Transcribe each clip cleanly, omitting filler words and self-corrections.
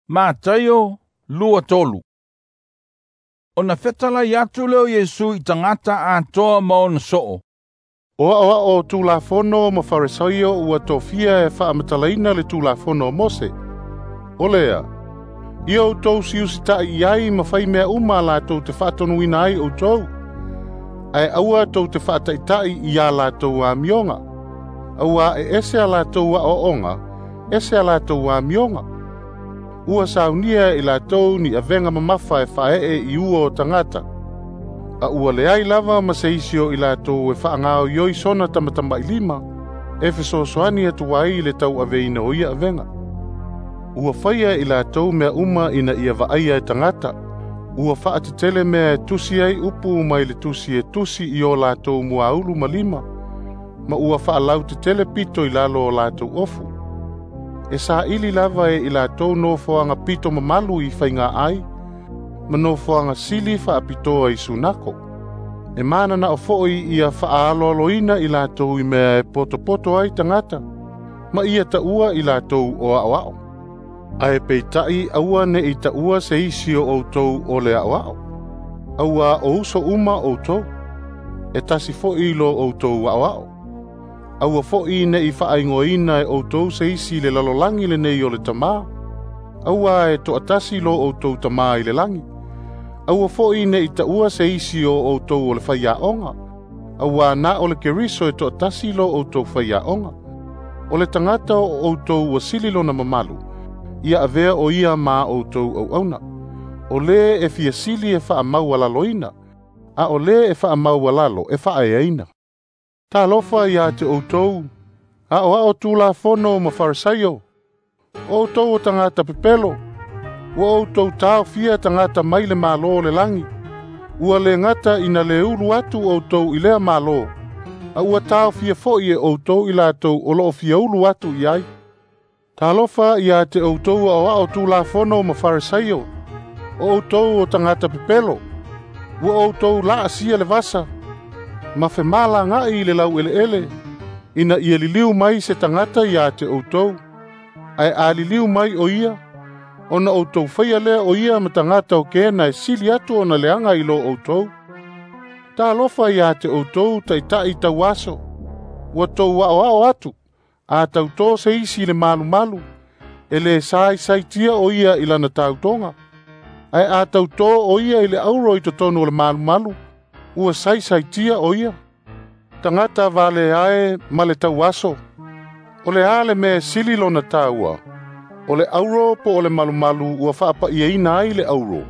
Mataio 23. Ona fetalai atu lea o Iesu i tagata atoa ma ona soo. O aoao Tulafono ma Farisaio ua tofia e faamatalaina le Tulafono o Mose. O lea, ia outou siusita'i i ai ma fai mea uma a latou te faatonuina ai outou, ae aua tou te faataita'i i a latou amioga, auā e ese a latou aoaoga, ese a latou amioga. Ua saunia e i latou ni avega mamafa e faaee i ua o tagata, a ua leai lava ma se isi o i latou e faagaoioi sona tamatamailima e fesoasoani atu ai i le tauaveina o ia avega. Ua faia e i latou mea uma ina ia vaaia e tagata. Ua faatetele mea e tusi ai upu mai le tusi e tusi i o latou muaulu ma lima, ma ua faalautetele pito i lalo o latou ofu. E saili lava e i latou nofoaga pito mamalu i faiga ai, ma nofoaga sili faapitoa i sunako. E mananao foi ia faaaloaloina i latou i mea e potopoto ai tagata, ma ia taua i latou o aoao. Ae peitai aua ne'i taua se isi o outou o le aoao, auā o uso uma outou, e tasi foi lo outou aoao. Aua foi ne'i faaigoaina e outou se isi i le lalolagi lenei o le Tamā, auā e toatasi lo outou Tamā i le lagi. Aua foi ne'i taua se isi o outou o le faiaoga, auā na o le Keriso e toatasi lo outou faiaoga. O le tagata o outou ua sili lona mamalu, ia avea o ia ma outou auauna. O lē e fia sili e faamaualaloina, a o lē e faamaualalo e faaeaina. Talofa iā te outou, aoao Tulafono ma Farisaio, o outou o tagata pepelo, ua outou taofia tagata mai le Malo o le lagi. Ua le gata ina le ulu atu outou i lea Malo, a ua taofia foi e outou i latou o loo fia ulu atu i ai. Talofa iā te outou aoao Tulafono ma Farisaio, o outou o tagata pepelo, ua outou laasia le vasa, ma femalaga'i i le laueleele, ina ia liliu mai se tagata iā te outou. Ae a liliu mai o ia, ona outou faia lea o ia ma tagata o kena e sili atu ona leaga i lo outou. Talofa iā te outou taita'i tauaso, ua tou aoao atu, a tautō se isi i le malumalu, e lē saisaitia o ia i lana tautoga. Ae a tautō o ia i le auro i totonu o le malumalu, ua saisaitia o ia. Tagata valeae ma le tauaso, o le a le mea e sili lona taua, o le auro po o le malumalu ua faapa'iaina ai le auro?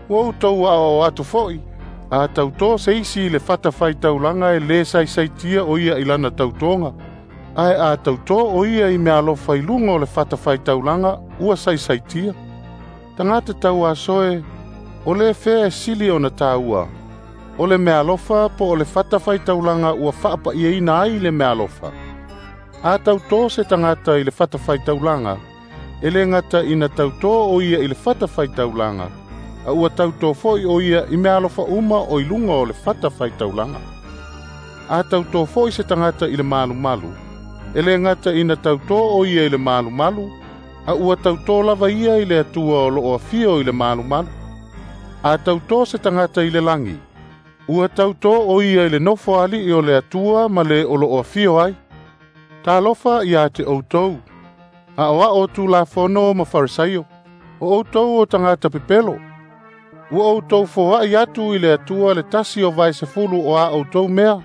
Ua outou aoao atu foi, a tautō se isi i le fatafaitaulaga e lē saisaitia o ia i lana tautoga, ae a tautō o ia i meaalofa i luga o le fatafaitaulaga ua saisaitia. Tagata tauaso e, o le fea e sili ona taua, o le meaalofa po o le fatafaitaulaga ua faapa'iaina ai le meaalofa? A tautō se tagata i le fatafaitaulaga, e le gata ina tautō o ia i le fatafaitaulaga, a ua tautō foi o ia i meaalofa uma o i luga o le fatafaitaulaga. A tautō foi se tagata i le malumalu, e le gata ina tautō o ia i le malumalu, a ua tautō lava ia i le Atua o loo afio i le malumalu. A tautō se tagata i le lagi, ua tautō o ia i le nofo ali'i o le Atua ma le o loo afio ai. Talofa iā te outou, aoao Tulafono ma Farisaio, o outou o tagata pepelo, ua outou foa'i atu i le Atua le tasi o vae sefulu o a outou mea,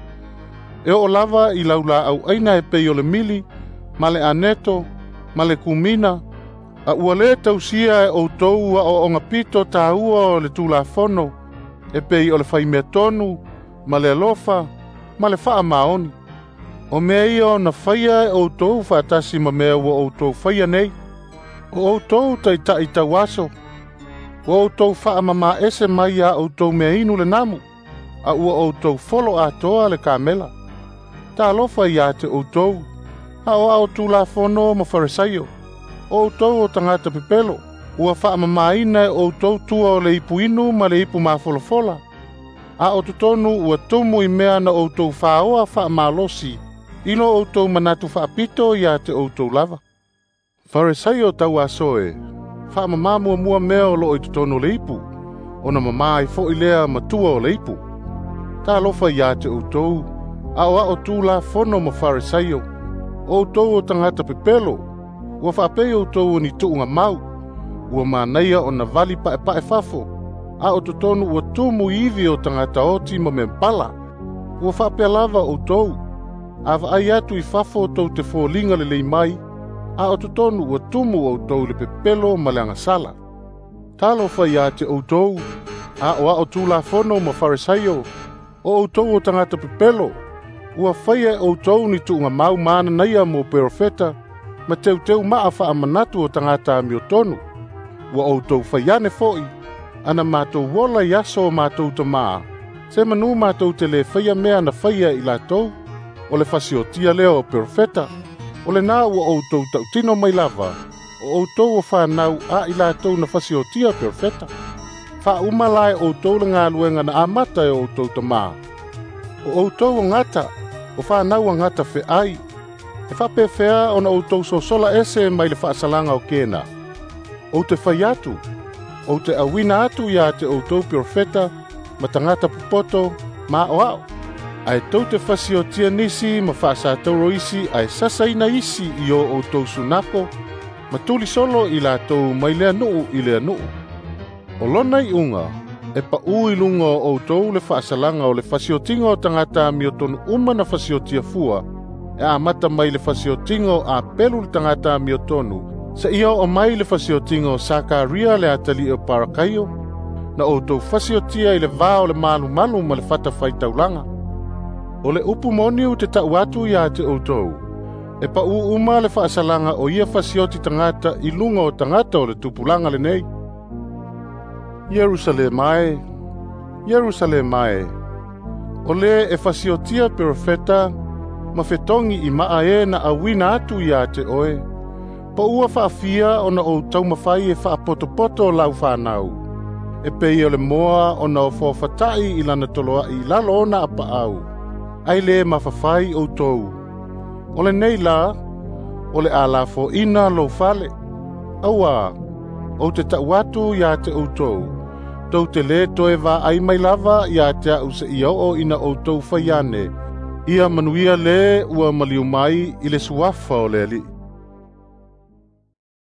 e oo lava i laulaau aina e pei o le mili, ma le aneto, ma le kumina, a ua lē tausia e outou aoaoga pito tāua o le Tulafono, e pei o le faimea tonu, ma le alofa, ma le faamaoni. O mea ia ona faia e outou faatasi ma mea ua outou faia nei. O outou taita'i tauaso, ua outou faamamaese mai iā outou meainu le namu, a ua outou folo atoa le kamela. Talofa iā te outou, aoao Tulafono ma Farisaio, o outou o tagata pepelo, ua faamamaina e outou tua o le ipu inu ma le ipu mafolafola, a o totonu ua tumu i mea na outou faaoa faamalosi i lo outou manatu faapito iā te outou lava. Farisaio tauaso e, Faamamā muamua mea o loo i totonu o le ipu, ona mamā ai foʻi lea ma tua o le ipu. Talofa iā te outou, aoao Tulafono ma Faresaio, o outou o tagata pepelo, ua faapei outou o ni tuugamau, ua manaia ona vali paepae fafo, a o totonu ua tumu i ivi o tagata oti ma mea pala. Ua faapea lava outou, a vaai atu i fafo tou te foliga lelei mai, a o totonu ua tumu outou i le pepelo ma le agasala. Talofa iā te outou, aoao Tulafono ma Faresaio, o outou o tagata pepelo, ua faia e outou ni tuugamau mananaia mo perofeta, ma teuteu maa faamanatu o tagata amiotonu. Ua outou faiane foʻi, ana matou ola i aso o matou tamā, se manu matou te lē faia mea na faia i latou, o le fasiotia lea o perofeta. O lenā ua outou tautino mai lava, o outou o fanau a i latou na fasiotia perofeta. Faauma la e outou le galuega na amata e o outou tamā. O outou o gata, o fanau a gata feai, e faapefea ona outou sosola ese mai le faasalaga o kena. Ou te fai atu, ou te auina atu iā te outou perofeta, ma tagata popoto, ma aoao. Ae tou te fasiotia nisi ma faasatauro isi ae sasaina isi i o outou sunako, ma tulisolo i latou mai lea nuu i lea nuu. O lona iuga, e paʻu i luga o outou le faasalaga o le fasiotiga o tagata amiotonu uma na fasiotia fua, e amata mai le fasiotiga o Apelu le tagata amiotonu, seia oo mai le fasiotiga o Sakaria le atalii o Parakaio, na outou fasiotia i le vā o le malumalu ma le fatafaitaulaga. O le upu moni ou te tau atu iā te outou, e paʻu uma le faasalaga o ia fasioti tagata i luga o tagata o le tupulaga lenei. Ierusalema e, Ierusalema e, o lē e fasiotia perofeta, ma fetogi i maa e na auina atu iā te oe, po ua faafia ona ou taumafai e faapotopoto lau fanau, e pei o le moa ona ofaofataʻi i lana toloaʻi i lalo ona apaau, ai lē mafafai outou. O lenei la, o le a lafoʻina lou fale. Auā, ou te tau atu iā te outou, tou te lē toe vaai mai lava iā te aʻu seia oo ina outou faiane, ia manuia lē ua maliu mai i le suafa o le Alii.